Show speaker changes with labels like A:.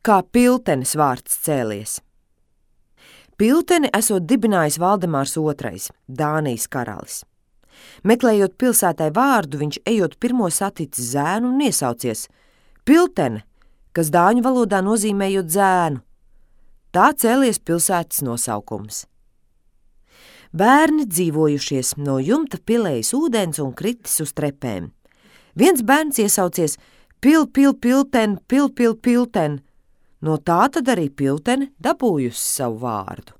A: Kā Piltenes vārds cēlies? Pilteni esot dibinājis Valdemārs II, Dānijas karalis. Meklējot pilsētai vārdu, viņš ejot pirmo saticis zēnu un iesaucies Piltene, kas dāņu valodā nozīmējot zēnu. Tā cēlies pilsētas nosaukums. Bērni dzīvojušies no jumta pilējis ūdens un kritis uz trepēm. Viens bērns iesaucies Pilten, Pilten. No tā tad arī Piltene dabūjusi savu vārdu.